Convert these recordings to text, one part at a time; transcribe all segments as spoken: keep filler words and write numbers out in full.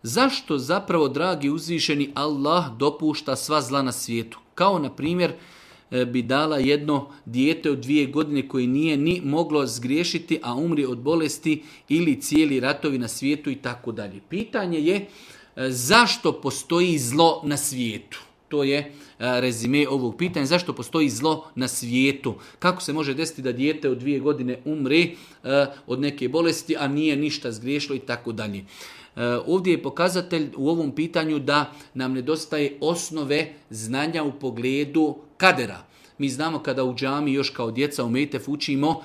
zašto zapravo, dragi uzvišeni, Allah dopušta sva zla na svijetu? Kao, na primjer, bi dala jedno dijete od dvije godine koje nije ni moglo zgriješiti, a umri od bolesti, ili cijeli ratovi na svijetu i tako dalje. Pitanje je zašto postoji zlo na svijetu? To je rezime ovog pitanja. Zašto postoji zlo na svijetu? Kako se može desiti da dijete od dvije godine umre od neke bolesti, a nije ništa zgriješilo i tako dalje? Ovdje je pokazatelj u ovom pitanju da nam nedostaje osnove znanja u pogledu kadera. Mi znamo kada u džami još kao djeca u Mejtef učimo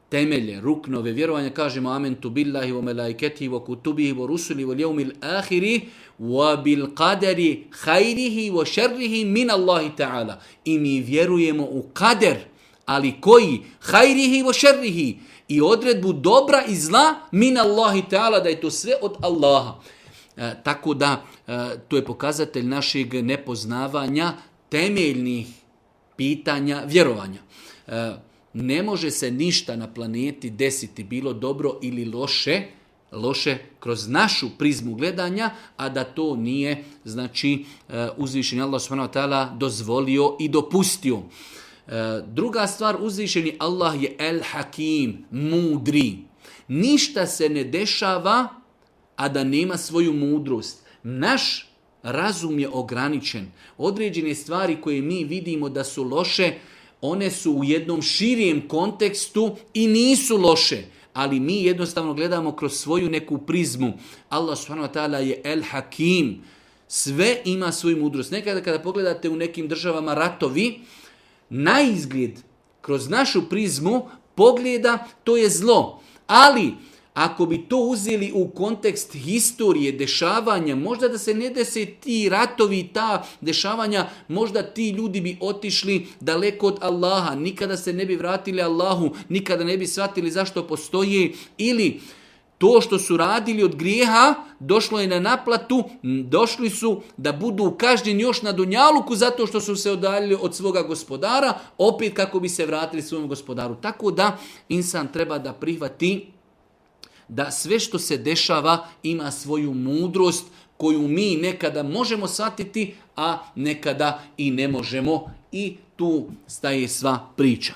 temelje, ruknove vjerovanja, kažemo amentu billahi wa melaiketihi wa kutubihi wa rusuli wa ljevmil ahiri wa bil qadari hajrihi wa šerrihi min Allahi ta'ala. I mi vjerujemo u kader, ali koji? Hajrihi wa šerrihi. I odredbu dobra i zla min Allahi ta'ala, da je to sve od Allaha. E, tako da, e, to je pokazatelj našeg nepoznavanja temeljnih pitanja vjerovanja. E, ne može se ništa na planeti desiti, bilo dobro ili loše, loše kroz našu prizmu gledanja, a da to nije, znači, e, uzvišeni Allah subhanahu wa ta'ala dozvolio i dopustio. Druga stvar, uzvišeni Allah je El Hakim, mudri. Ništa se ne dešava, a da nema svoju mudrost. Naš razum je ograničen. Određene stvari koje mi vidimo da su loše, one su u jednom širijem kontekstu i nisu loše. Ali mi jednostavno gledamo kroz svoju neku prizmu. Allah subhanahu wa ta'ala je El Hakim. Sve ima svoju mudrost. Nekada kada pogledate u nekim državama ratovi, na izgled, kroz našu prizmu pogleda, to je zlo. Ali, ako bi to uzeli u kontekst historije, dešavanja, možda da se ne dese ti ratovi, ta dešavanja, možda ti ljudi bi otišli daleko od Allaha, nikada se ne bi vratili Allahu, nikada ne bi shvatili zašto postoje, ili to što su radili od grijeha, došlo je na naplatu, došli su da budu kažnjeni još na dunjaluku zato što su se odaljili od svoga gospodara, opet kako bi se vratili svom gospodaru. Tako da insan treba da prihvati da sve što se dešava ima svoju mudrost koju mi nekada možemo shvatiti, a nekada i ne možemo, i tu staje sva priča.